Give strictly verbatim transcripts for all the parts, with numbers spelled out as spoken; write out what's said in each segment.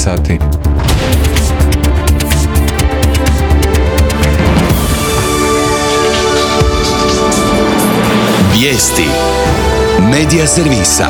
sati. Vijesti Medija servisa.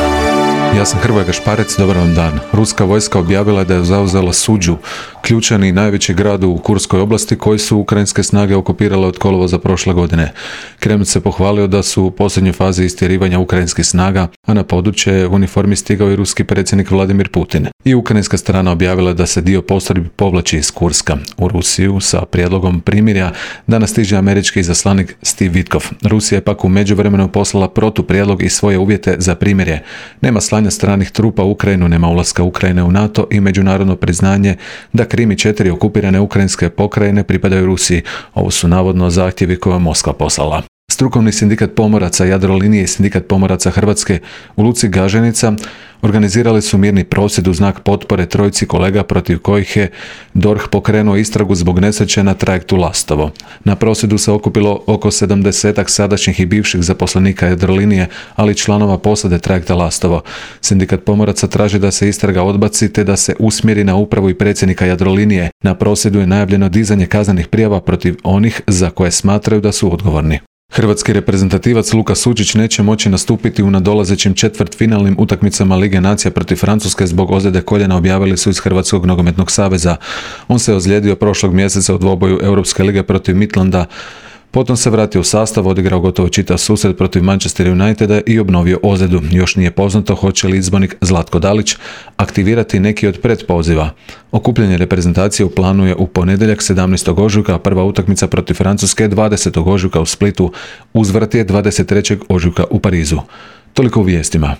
Ja sam Hrvoje Gašparec, dobar vam dan. Ruska vojska objavila da je zauzela Suđu, ključan i najveći grad u Kurskoj oblasti koji su ukrajinske snage okupirale od kolovoza prošle godine. Kreml se pohvalio da su u posljednjoj fazi istjerivanja ukrajinskih snaga, a na područje u uniformi stigao i ruski predsjednik Vladimir Putin. I ukrajinska strana objavila da se dio postrojbi povlači iz Kurska. U Rusiju sa prijedlogom primirja danas stiže američki izaslanik Steve Witkoff. Rusija je pak u međuvremenu poslala protuprijedlog i svoje uvjete za primirje. Nema slanja stranih trupa u Ukrajinu, nema ulaska Ukrajine u NATO i međunarodno priznanje da Krim i četiri okupirane ukrajinske pokrajine pripadaju Rusiji. Ovo su navodno zahtjevi koje je Moskva poslala. Strukovni sindikat pomoraca Jadrolinije i sindikat pomoraca Hrvatske u luci Gaženica organizirali su mirni prosvjed u znak potpore trojici kolega protiv kojih je D O R H pokrenuo istragu zbog nesreće na trajektu Lastovo. Na prosvjedu se okupilo oko sedamdesetak sadašnjih i bivših zaposlenika Jadrolinije, ali i članova posade trajekta Lastovo. Sindikat pomoraca traži da se istraga odbaci te da se usmjeri na upravu i predsjednika Jadrolinije. Na prosvjedu je najavljeno dizanje kaznenih prijava protiv onih za koje smatraju da su odgovorni. Hrvatski reprezentativac Luka Sučić neće moći nastupiti u nadolazećim četvrtfinalnim utakmicama Lige nacija protiv Francuske zbog ozljede koljena, objavili su iz Hrvatskog nogometnog saveza. On se ozlijedio prošlog mjeseca u dvoboju Europske lige protiv Midlanda. Potom se vratio u sastav, odigrao gotovo čitav susret protiv Manchester Uniteda i obnovio ozljedu. Još nije poznato hoće li izbornik Zlatko Dalić aktivirati neki od pretpoziva. Okupljanje reprezentacije u planu je u ponedjeljak sedamnaestog ožujka, a prva utakmica protiv Francuske dvadesetog ožujka u Splitu, uzvrat je dvadeset trećeg ožujka u Parizu. Toliko u vijestima.